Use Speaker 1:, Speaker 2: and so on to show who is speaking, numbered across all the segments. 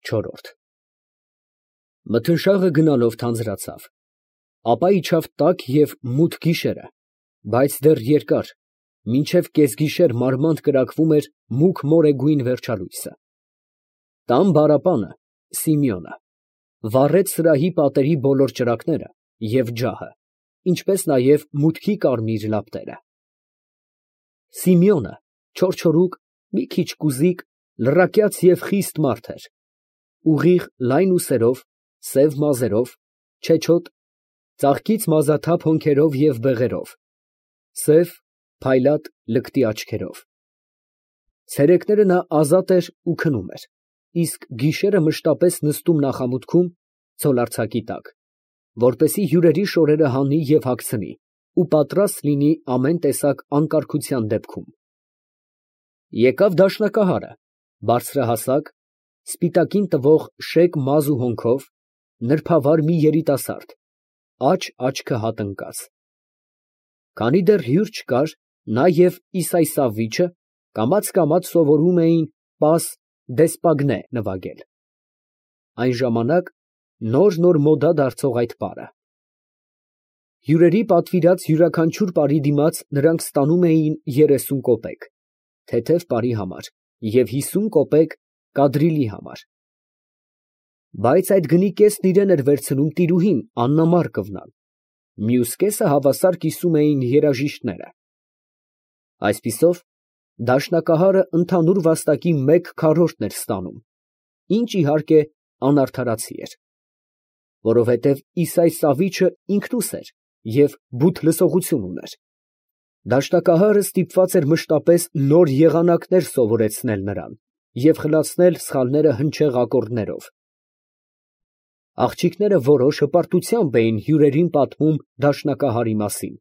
Speaker 1: Չորրորդ Մթնշաղը գնալով թանձրացավ, ապա իջավ տաք և մութ գիշերը, բայց դեռ երկար, մինչև կեսգիշեր մարմանդ կրակվում էր մուգ մորեգույն վերջալույսը։ Տան բառապանը Սիմեոնը վառեց սրահի պատերի բոլոր ճրագները և ջահը, ինչպես նաև մուտքի կարմիր լապտերը։ Սիմեոնը չորչորուկ, մի քիչ կուզիկ, լռակյաց և խիստ մարդ էր, ուղիղ լայն ուսերով, սև մազերով, չեչոտ, ծաղկից մազաթափ հոնքերով և բեղերով, սև, փայլատ լկտի աչքերով։ Ցերեկները նա ազատ էր ու քնում էր, իսկ գիշերը մշտապես նստում նախամուտքում ձոլարձակի տակ, որպեսզի հյուրերի շորերը հանի և հագցնի ու պատրաստ լինի ամեն տեսակ անկարգության դեպքում։ Եկավ դաշնակահարը, բարձրահասակ, սպիտակին տվող շեկ մազ ու հոնքով, նրբավար մի երիտասարդ, աջ աչքը հատ ընկած։ Քանի դեռ հյուր չկար, նա և Իսայսավիչը կամաց սովորում էին պաս դեսպագնե նվագել (այն ժամանակ նոր մոդա դարձող այդ պարը)։ Հյուրերի պատվիրած յուրաքանչյուր պարի դիմաց նրանք ստանում էին 30 կոպեկ (թեթև պարի համար) և 50 կոպեկ կադրիլի համար, բայց այդ գնի կեսն իրան էր վերցնում տիրուհին Աննա Մարկովնան, մյուս կեսը հավասար կիսում էին երաժիշտները։ Այսպիսով, դաշնակահարը ընդհանուր վաստակի 1/4-ն էր ստանում, ինչ, իհարկե, անարդարացի էր, որովհետև Իսայսավիչը ինքնուս էր և բութ լսողություն ուներ։ Դաշնակահարը ստիպված էր մշտապես նոր եղանակներ սովորեցնել նրան և խլացնել սխալները հնչեղ ակորդներով։ Աղջիկները որոշ հպարտությամբ էին հյուրերին պատմում դաշնակահարի մասին,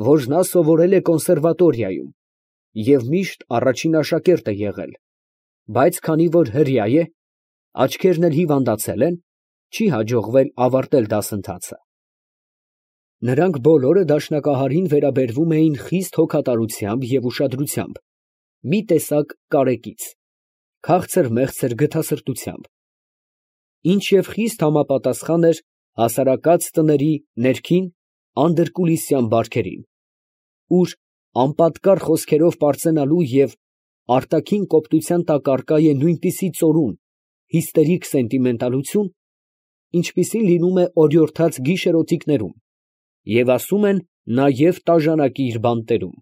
Speaker 1: որ նա սովորել է կոնսերվատորիայում և միշտ առաջին աշակերտը եղել, բայց քանի որ հրեա է, աչքերն էլ հիվանդացել են, չի հաջողվել ավարտել դասընթացը։ Նրանք բոլորը դաշնակահարին վերաբերվում էին խիստ հոգատարությամբ և ուշադրությամբ, մի տեսակ կարեկից, քաղցր֊մեղցր գթասրտությամբ, ինչ և խիստ համապատասխան էր հասարակած տների ներքին անդրկուլիսյան բարքերին, ուր անպատկառ խոսքերով պարծենալու և արտաքին կոպտության տակ առկա է նույնպիսի ծորուն, հիստերիկ սենտիմենտալություն, ինչպիսին լինում է օրիորդաց գիշերօթիկներում, և ասում են նաև տաժանակիր բանտերում։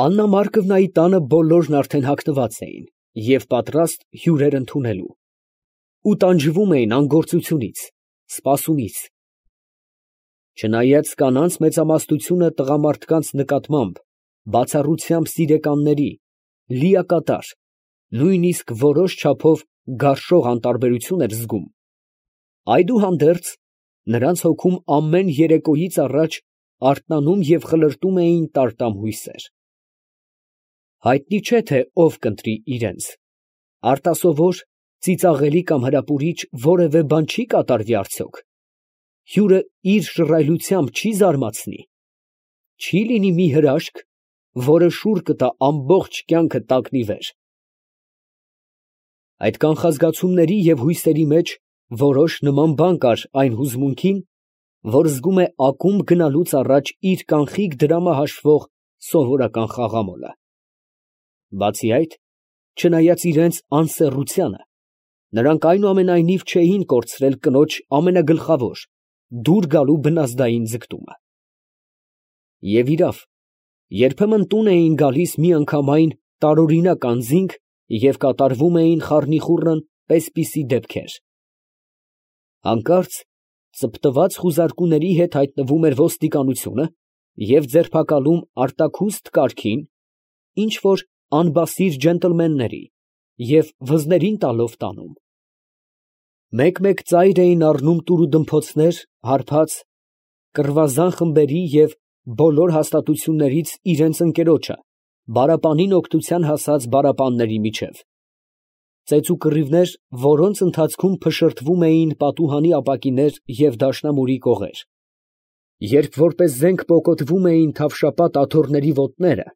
Speaker 1: Աննա Մարկովնայի տանը բոլորն արդեն հագնված էին և պատրաստ հյուրեր ընդունելու, ու տանջվում էին անգործությունից, սպասումից։ Չնայած կանանց մեծամասնությունը տղամարդկանց նկատմամբ բացառությամբ սիրեկանների, լիակատար, նույնիսկ որոշ չափով գարշող անտարբերություն էր զգում, այդուհանդերձ, նրանց հոգում ամեն երեկոյից առաջ արթնանում և խլրտում էին տարտամ հույսեր։ Հայտնի չէ, թե ով կընտրի իրենց, արտասովոր, ծիծաղելի կամ հրապուրիչ որևէ բան չի կատարվի արդյոք, հյուրը իր շռայլությամբ չի զարմացնի, չի լինի մի հրաշք, որը շուռ կտա ամբողջ կյանքը տակնի վեր։ Այդ կանխազգացումների և հույսերի մեջ որոշ նման բան կար այն հուզմունքին, որ զգում է ակումբ գնալուց առաջ իր կանխիկ դրամը հաշվող սովորական խաղամոլը։ Բացի այդ, չնայած իրենց անսեռությանը, նրանք այնուամենայնիվ չէին կորցրել կնոջ ամենագլխավոր՝ դուր գալու բնազդային ձգտումը։ Եվ իրավ, երբեմն տուն էին գալիս միանգամայն տարօրինակ անձինք և կատարվում էին խառնիխուռն պես֊պիսի դեպքեր։ Հանկարծ ծպտված խուզարկուների հետ հայտնվում էր ոստիկանությունը և ձերբակալում արտաքուստ կարգին ինչ֊որ անբասիր ջենտլմենների և վզներին տալով տանում։ Մեկ֊մեկ ծայր էին առնում տուր֊դմփոցներ հարբած կռվազան խմբերի և բոլոր հաստատություններից իրենց ընկերոջը բարապանին օգնության հասած բարապանների միջև, ծեծուկռիվներ, որոնց ընթացքում փշրդվում էին պատուհանի ապակիներ և դաշնամուրի կողեր, երբ որպես զենք պոկոտվում էին թավշապատ աթոռների ոտները,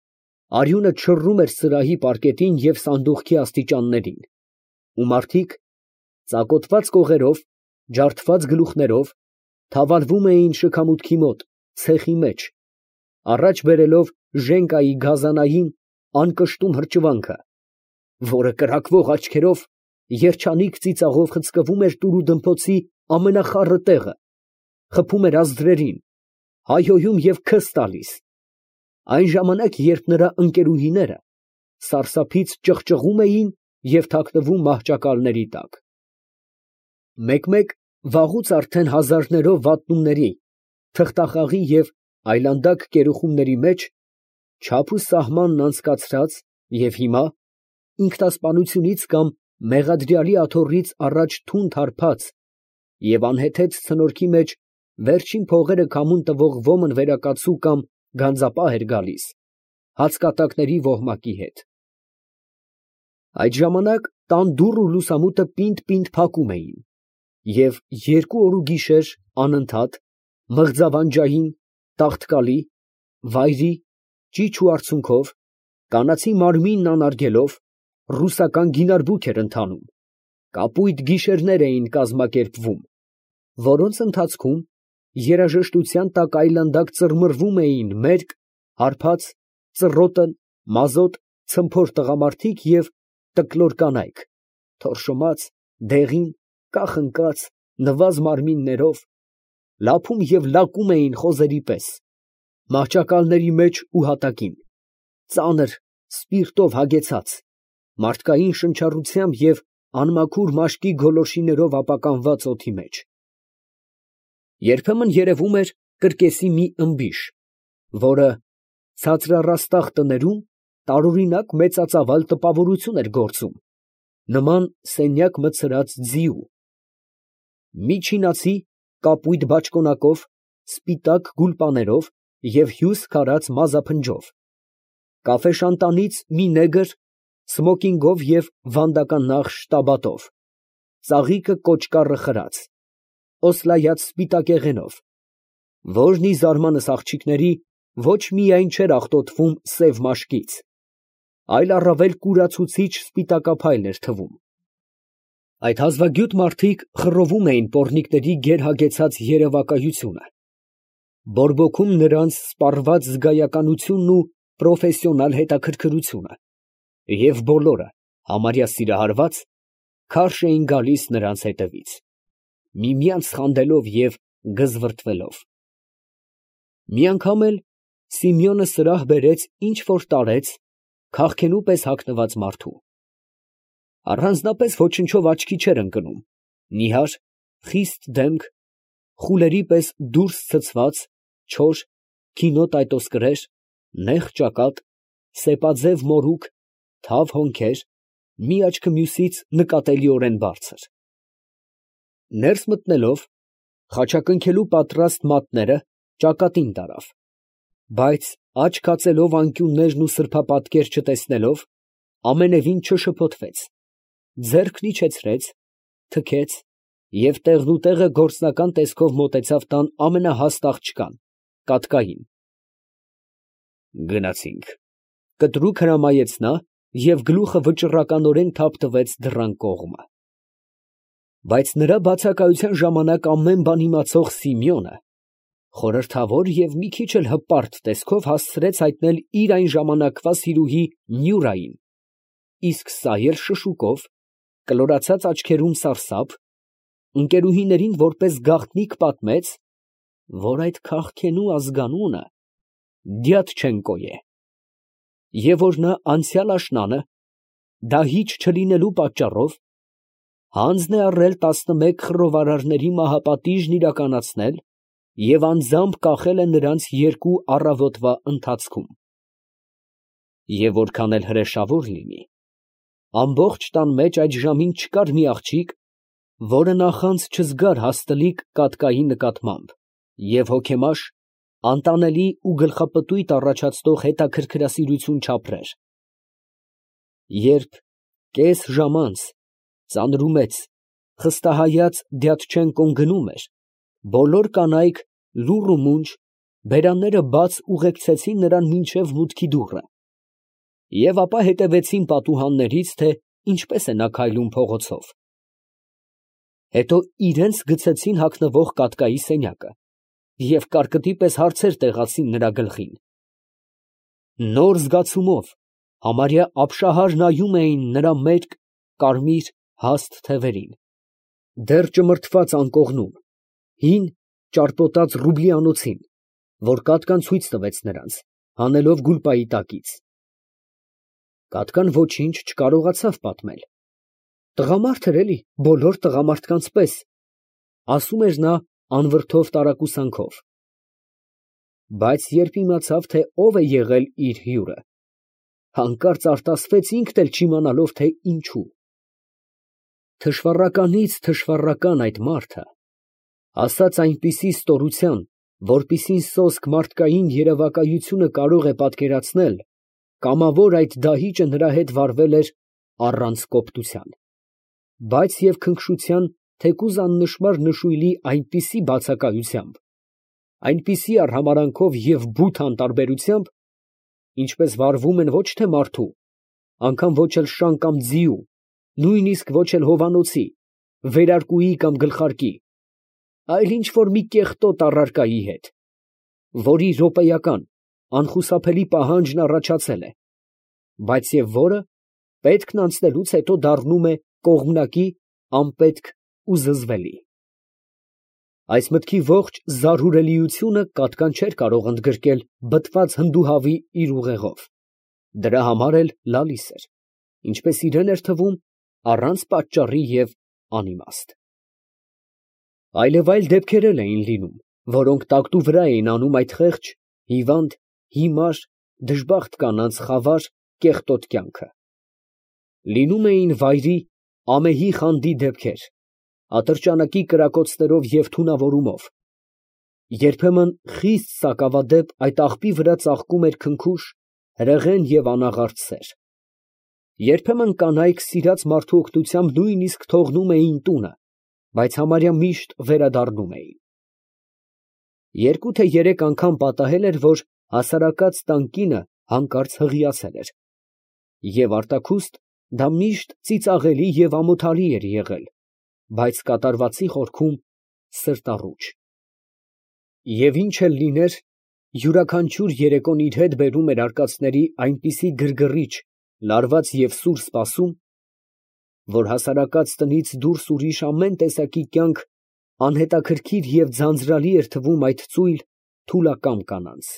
Speaker 1: արյունը չռում էր սրահի պարկետին և սանդուղքի աստիճաններին, ու մարդիկ ծակոտված կողերով, ջարդված գլուխներով թավալվում էին շքամուտքի մոտ, ցեխի մեջ, առաջ բերելով Ժենկայի գազանային անկշտում հրճվանքը, որը կրակվող աչքերով, երջանիկ ծիծաղով խցկվում էր տուրուդմփոցի ամենախառը տեղը, խփում էր ազդրերին, հայհոյում և քս տալիս, այն ժամանակ, երբ նրա ընկերուհիները սարսափից ճղճղում էին և թաքնվում մահճակալների տակ։ Մեկ֊մեկ վաղուց արդեն հազարներով վատնումների, թղթախաղի և այլանդակ կերուխումների մեջ, չափ ու սահմանն անցկացրած և հիմա, ինքնասպանությունից կամ մեղադրյալի աթոռից առաջ թունդ հարբած և անհեթեթ ցնորքի մեջ վերջին փողերը քամուն տվող ոմն վերակացու կամ գանձապահ էր գալիս, հացկատակների ոհմակի հետ։ Այդ ժամանակ տան դուռ ու լուսամուտը պինդ֊պինդ փակում էին, և 2 օր ու գիշեր անընդհատ, մղձավանջային, տաղտկալի, վայրի, ճիչ ու արցունքով, կանացի մարմինն անարգելով, ռուսական գինարբուք էր ընթանում, կապույտ գիշերներ էին կազմակերպվում, որոնց ընթացքում երաժշտության տակ այլանդակ ծռմռվում էին մերկ, հարբած, ծռոտը, մազոտ, ցմփոր տղամարդիկ և տկլոր կանայք, թորշոմած, դեղին, կախ ընկած, նվազ մարմիններով, լափում և լակում էին խոզերի պես, մահճակալների մեջ ու հատակին, ծանր, սպիրտով հագեցած, մարդկային շնչառությամբ և անմաքուր մաշկի գոլորշիներով ապականված օդի մեջ։ Երբեմն երևում էր կրկեսի մի ըմբիշ, որը ցածրառաստաղ տներում տարօրինակ մեծածավալ տպավորություն էր գործում, նման սենյակ մտցրած ձիու։ Մի չինացի կապույտ բաճկոնակով, սպիտակ գուլպաներով և հյուստ քարած մազափնջով, կաֆեշանտանից մի նեգր սմոկինգով և վանդակա նախշ տաբատով, ծաղիկը կոճկառը խրած, օսլայած սպիտակեղենով, որն ի զարմանս աղջիկների ոչ միայն չէր աղտոտվում սև մաշկից, այլ առավել կուրացուցիչ սպիտակափայլ էր թվում։ Այդ հազվագյուտ մարդիկ խռովում էին պոռնիկների գերհագեցած երևակայությունը, բորբոքում նրանց սպառված զգայականությունն ու պրոֆեսիոնալ հետաքրքրությունը, և բոլորը, համարյա սիրահարված, քարշ էին գալիս նրանց հետևից, միմյանց խանդելով և գզվրտվելով։ Մի անգամ էլ Սիմեոնը սրահ բերեց ինչ֊որ տարեց քաղքենու պես հագնված մարդու։ Առանձնապես ոչնչով աչքի չէր ընկնում, նիհար, խիստ դեմք, խուլերի պես դուրս ցցված, չոր, քինո տայտոսկրեր, նեղ ճակատ, սեպաձև մորուք, թավ հոնքեր, մի աչքը մյուսից նկատելիորեն բարձր։ Ներս մտնելով, խաչակնքելու պատրաստ մատները ճակատին տարավ, բայց աչք հացելով անկյուններն ու սրբապատկեր չտեսնելով, ամենևին չշփոթվեց, ձեռքն իջեցրեց, թքեց և տեղնուտեղը գործնական տեսքով մոտեցավ տան ամենահաստ աղջկան, կատկային։ «Գնացինք», ֊ կտրուկ հրամայեց նա և գլուխը վճռականորեն թափ տվեց դռան կողմը։ Բայց նրա բացակայության ժամանակ ամեն բան իմացող Սիմեոնը խորհրդավոր և մի քիչ էլ հպարտ տեսքով հասցրեց հայտնել իր այն ժամանակվա սիրուհի Նյուրային, իսկ սա էլ շշուկով, կլորացած աչքերում սարսափ, ընկերուհիներին որպես գաղտնիք պատմեց, որ այդ քաղքենու ազգանունը Դյատչենկո է, և որ նա անցյալ աշնանը, դահիճ չլինելու պատճառով, հանձն է առել 11 խռովարարների մահապատիժն իրականացնել և անձամբ կախել է նրանց 2 առավոտվա ընթացքում։ Եվ որքան էլ հրեշավոր լինի, ամբողջ տան մեջ այդ ժամին չկար մի աղջիկ, որը նախանձ չզգար հաստլիկ կատկայի նկատմամբ և հոգեմաշ, անտանելի ու գլխապտույտ առաջացնող հետաքրքրասիրություն չապրեր։ Երբ կես ժամ անց ծանրումեծ, խստահայաց Դյատչենկոն գնում էր, բոլոր կանայք լուռ ու մունջ, բերանները բաց ուղեկցեցին նրան մինչև մուտքի դուռը, և ապա հետևեցին պատուհաններից, թե ինչպես է նա քայլում փողոցով։ Հետո իրենց գցեցին հագնվող կատկայի սենյակը և կարկտի պես հարցեր տեղացին նրա գլխին։ Նոր զգացումով, համարյա ապշահար նայում էին նրա մերկ, կարմիր, հաստ թևերին, դեռ ճմրթված անկողնում, հին ճարպոտած Ռուբլիանոցին, որ կատկան ցույց տվեց նրանց, հանելով գուլպայի տակից։ Կատկան ոչինչ չկարողացավ պատմել։ Տղամարդ էր էլի, բոլոր տղամարդկանց պես, ասում էր նա անվրդով տարակուսանքով։ Բայց երբ իմացավ, թե ով է եղել իր հյուրը, հանկարծ արտասվեց ինքն էլ չիմանալով, թե ինչու։ Թշվառականից թշվառական այդ մարդը, ասաց այնպիսի ստորության, որպիսին սոսկ մարդկային երևակայությունը կարող է պատկերացնել, կամավոր այդ դահիճը նրա հետ վարվել էր առանց կոպտության, բայց և քնքշության թեկուզ աննշմար նշույլի այնպիսի բացակայությամբ, այնպիսի արհամարհանքով և բութ անտարբերությամբ, ինչպես վարվում են ոչ թե մարդու, անգամ ոչ էլ շան կամ ձիու, նույնիսկ ոչ էլ հովանոցի, վերարկուի կամ գլխարկի, այլ ինչ֊որ մի կեղտոտ առարկայի հետ, որի րոպեական, անխուսափելի պահանջն առաջացել է, բայց և որը պետքն անցնելուց հետո դառնում է կողմնակի, անպետք ու զզվելի։ Այս մտքի ողջ զարհուրելիությունը կատկան չէր կարող ընդգրկել բթված հնդուհավի իր ուղեղով, դրա համար էլ լալիս էր, ինչպես իրան էր թվում, առանց պատճառի և անիմաստ։ Այլևայլ դեպքեր էլ էին լինում, որոնք տակտու վրա էին անում այդ խեղճ, հիվանդ, հիմար, դժբախտ կանանց խավար, կեղտոտ կյանքը։ Լինում էին վայրի, ամեհի խանդի դեպքեր, ատրճանակի կրակոցներով և թունավորումով, երբեմն խիստ սակավադեպ այդ աղբի վրա ծաղկում էր քնքուշ, հրեղեն և անաղարտ սեր, երբեմն կանայք սիրած մարդու օգնությամբ նույնիսկ թողնում էին տունը, բայց համարյա միշտ վերադառնում էին։ Երկու թե երեք անգամ պատահել էր, որ հասարակած տան կինը հանկարծ հղիացել էր, և արտաքուստ դա միշտ ծիծաղելի և ամոթալի էր եղել, բայց կատարվածի խորքում սրտառուչ։ Եվ ինչ էլ լիներ, յուրաքանչյուր երեկոն իր հետ բերում էր արկածների այնպիսի գրգռիչ, լարված և սուր սպասում, որ հասարակած տնից դուրս ուրիշ ամեն տեսակի կյանք անհետաքրքիր և ձանձրալի էր թվում այդ ծույլ, թուլակամ կանանց։